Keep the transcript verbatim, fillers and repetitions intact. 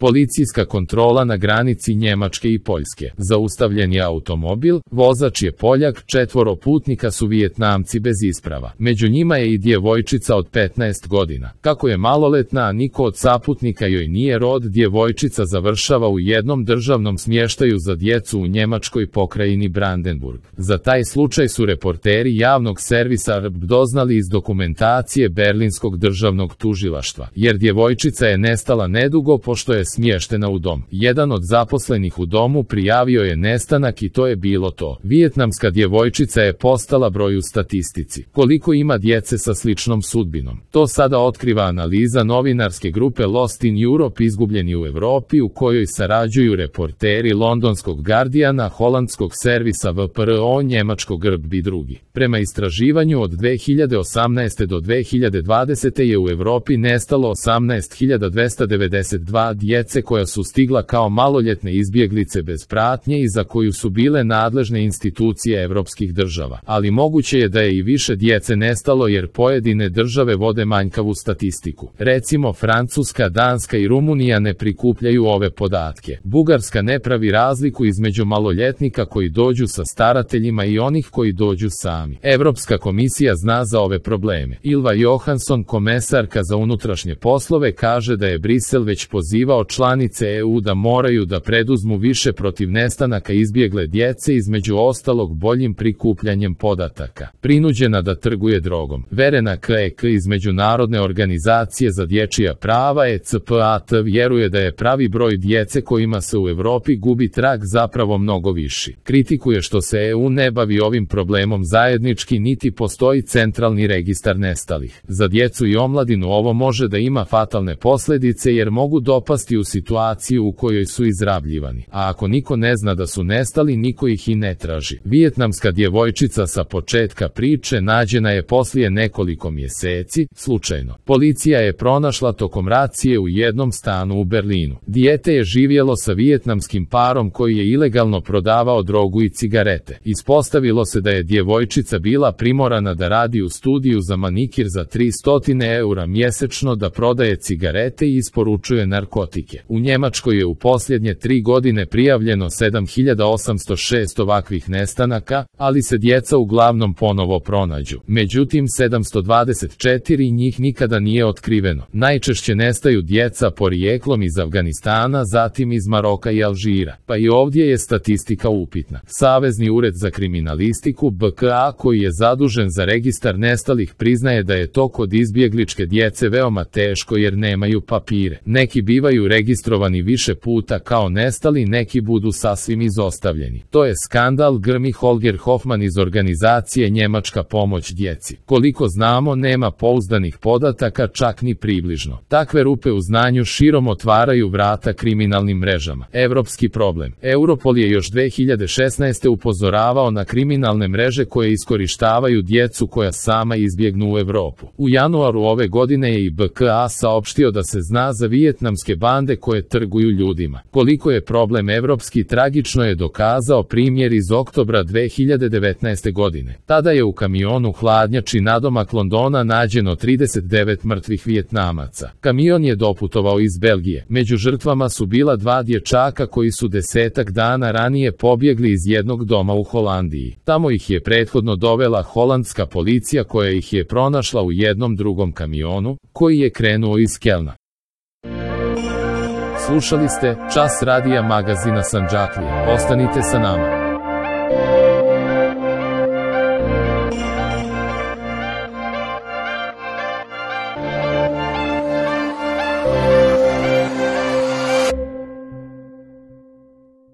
Policijska kontrola na granici Njemačke i Poljske. Zaustavljen je automobil, vozač je Poljak, četvoro putnika su Vijetnamci bez isprava. Među njima je i djevojčica od petnaest godina. Kako je maloletna, a niko od saputnika joj nije rod, djevojčica završava u jednom državnom smještaju za djecu u njemačkoj pokrajini Brandenburg. Za taj slučaj su reporteri javnog servisa R B doznali iz dokumentacije Berlinskog državnog tužilaštva, jer djevojčica je nestala nedugo pošto je smještena u dom. Jedan od zaposlenih u domu prijavio je nestanak i to je bilo to. Vijetnamska djevojčica je postala broj u statistici. Koliko ima djece sa sličnom sudbinom? To sada otkriva analiza novinarske grupe Lost in Europe, izgubljeni u Europi, u kojoj sarađuju reporteri londonskog Guardiana, holandskog servisa V P R O, njemačkog R B i drugi. Prema istraživanju od dve hiljade osamnaeste do dve hiljade dvadesete je u Europi nestalo osamnaest hiljada dvesta devedeset dva djece koja su stigla kao maloljetne izbjeglice bez pratnje i za koju su bile nadležne institucije evropskih država. Ali moguće je da je i više djece nestalo jer pojedine države vode manjkavu statistiku. Recimo Francuska, Danska i Rumunija ne prikupljaju ove podatke. Bugarska ne pravi razliku između maloljetnika koji dođu sa starateljima i onih koji dođu sami. Evropska komisija zna za ove probleme. Ylva Johansson, komesarka za unutrašnje poslove, kaže da je Brisel već pozivao članice E U da moraju da preduzmu više protiv nestanaka izbjegle djece, između ostalog boljim prikupljanjem podataka. Prinuđena da trguje drogom. Verena Klek iz Međunarodne organizacije za dječja prava E C P A T vjeruje da je pravi broj djece kojima se u Europi gubi trag zapravo mnogo viši. Kritikuje što se E U ne bavi ovim problemom zajednički niti postoji centralni registar nestalih. Za djecu i omladinu ovo može da ima fatalne posljedice jer mogu dopasti u situaciju u kojoj su izrabljivani. A ako niko ne zna da su nestali, niko ih i ne traži. Vijetnamska djevojčica sa početka priče nađena je poslije nekoliko mjeseci, slučajno. Policija je pronašla tokom racije u jednom stanu u Berlinu. Dijete je živjelo sa vijetnamskim parom koji je ilegalno prodavao drogu i cigarete. Ispostavilo se da je djevojčica bila primorana da radi u studiju za manikir za tristo eura mjesečno, da prodaje cigarete i isporučuje narkotike. U Njemačkoj je u posljednje tri godine prijavljeno sedam hiljada osamsto šest ovakvih nestanaka, ali se djeca uglavnom ponovo pronađu. Međutim, sedamsto dvadeset četiri njih nikada nije otkriveno. Najčešće nestaju djeca porijeklom iz Afganistana, zatim iz Maroka i Alžira. Pa i ovdje je statistika upitna. Savezni ured za kriminalistiku B K A, koji je zadužen za registar nestalih, priznaje da je to kod izbjegličke djece veoma teško jer nemaju papire. Neki bivaju registrovani više puta kao nestali, neki budu sasvim izostavljeni. To je skandal, grmi Holger Hoffman iz organizacije Njemačka pomoć djeci. Koliko znamo, nema pouzdanih podataka, čak ni približno. Takve rupe u znanju širom otvaraju vrata kriminalnim mrežama. Evropski problem. Europol je još dve hiljade šesnaeste upozoravao na kriminalne mreže koje iskorištavaju djecu koja sama izbjegnu u Europu. U januaru ove godine je i B K A saopštio da se zna za vijetnamske bande koje trguju ljudima. Koliko je problem evropski, tragično je dokazao primjer iz oktobra dve hiljade devetnaeste godine. Tada je u kamionu hladnjači nadomak Londona nađeno trideset devet mrtvih Vijetnamaca. Kamion je doputovao iz Belgije. Među žrtvama su bila dva dječaka koji su desetak dana ranije pobjegli iz jednog doma u Holandiji. Tamo ih je prethodno dovela holandska policija koja ih je pronašla u jednom drugom kamionu, koji je krenuo iz Kelna. Slušali ste Čas radija magazina Sandžaklija. Ostanite sa nama.